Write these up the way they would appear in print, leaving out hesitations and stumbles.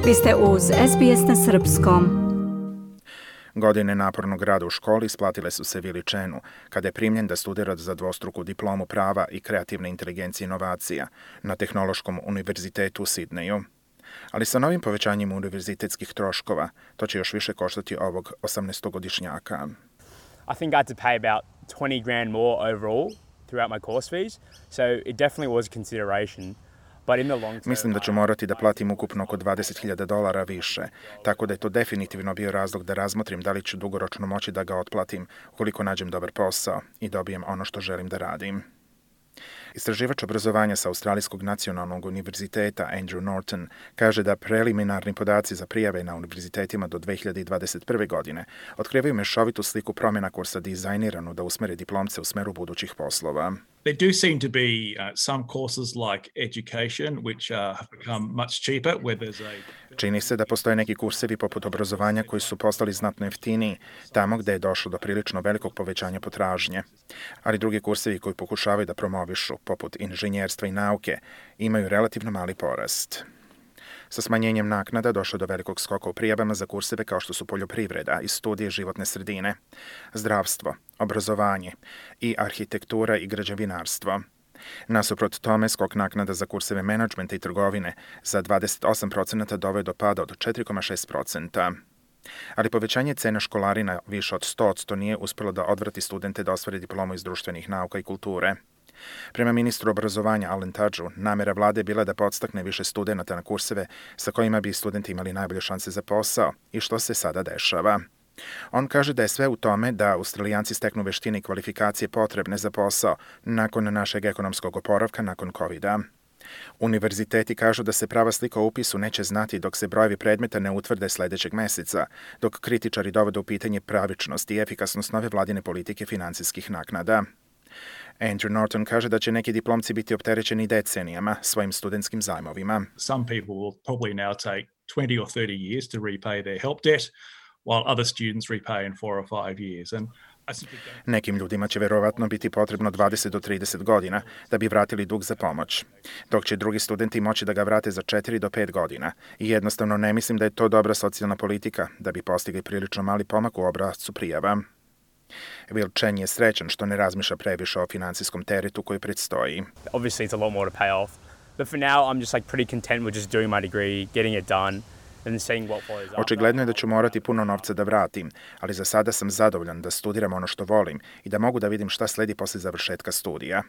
Vi ste uz SBS na srpskom. Godine napornog rada u školi isplatile su se Vili Chenu, kada je primljen da studira za dvostruku diplomu prava i kreativne inteligencije i inovacija na Tehnološkom univerzitetu u Sidneju. Ali sa novim povećanjem univerzitetskih troškova, to će još više koštati ovog 18-godišnjaka. I think I had to pay about $20,000 more overall throughout my course fees, so it definitely was a consideration. Mislim da ću morati da platim ukupno oko $20,000 više, tako da je to definitivno bio razlog da razmotrim da li ću dugoročno moći da ga otplatim ukoliko nađem dobar posao i dobijem ono što želim da radim. Istraživač obrazovanja sa Australijskog nacionalnog univerziteta Andrew Norton kaže da preliminarni podaci za prijave na univerzitetima do 2021. godine otkrivaju mešovitu sliku promjena kursa dizajniranu da usmere diplomce u smeru budućih poslova. There do seem to be some courses like education which have become much cheaper where there's Čini se da postoje neki kursevi poput obrazovanja koji su postali znatno jeftiniji, tamo gde je došlo do prilično velikog povećanja potražnje. Ali drugi kursevi koji pokušavaju da promovišu, poput inženjerstva i nauke, imaju relativno mali porast. Sa smanjenjem naknada došlo do velikog skoka u prijavama za kurseve kao što su poljoprivreda i studije životne sredine, zdravstvo, obrazovanje i arhitektura i građevinarstvo. Nasuprot tome, skok naknada za kurseve menadžmenta i trgovine za 28% doveo do pada od 4,6%. Ali povećanje cena školarina više od 100% nije uspjelo da odvrati studente da ostvare diplomu iz društvenih nauka i kulture. Prema ministru obrazovanja Alan Tudgeu, namera vlade je bila da podstakne više studenata na kurseve sa kojima bi studenti imali najbolje šanse za posao i što se sada dešava. On kaže da je sve u tome da Australijanci steknu veštine i kvalifikacije potrebne za posao nakon našeg ekonomskog oporavka nakon COVID-a. Univerziteti kažu da se prava slika o upisu neće znati dok se brojevi predmeta ne utvrde sljedećeg meseca, dok kritičari dovode u pitanje pravičnost i efikasnost nove vladine politike finansijskih naknada. Andrew Norton kaže da će neki diplomci biti opterećeni decenijama svojim studentskim zajmovima. Some people will probably now take 20 or 30 years to repay their help debt, while other students repay in 4 or 5 years. Nekim ljudima će verovatno biti potrebno 20 do 30 godina da bi vratili dug za pomoć, dok će drugi studenti moći da ga vrate za 4 do 5 godina. I jednostavno ne mislim da je to dobra socijalna politika da bi postigli prilično mali pomak u obrascu prijava. Will Chen je srećan što ne razmišlja previše o finansijskom teretu koji predstoji. Obviously it's a lot more to pay off, but for now I'm just pretty content with just doing my degree, getting it done. Očigledno je da ću morati puno novca da vratim, ali za sada sam zadovoljan da studiram ono što volim i da mogu da vidim šta sledi posle završetka studija,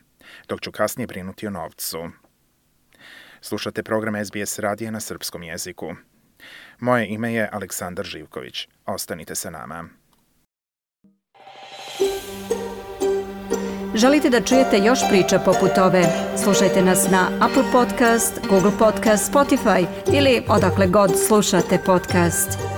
dok ću kasnije brinuti o novcu. Slušate program SBS radija na srpskom jeziku. Moje ime je Aleksandar Živković. Ostanite sa nama. Želite da čujete još priča poput ove? Slušajte nas na Apple Podcast, Google Podcast, Spotify ili odakle god slušate podcast.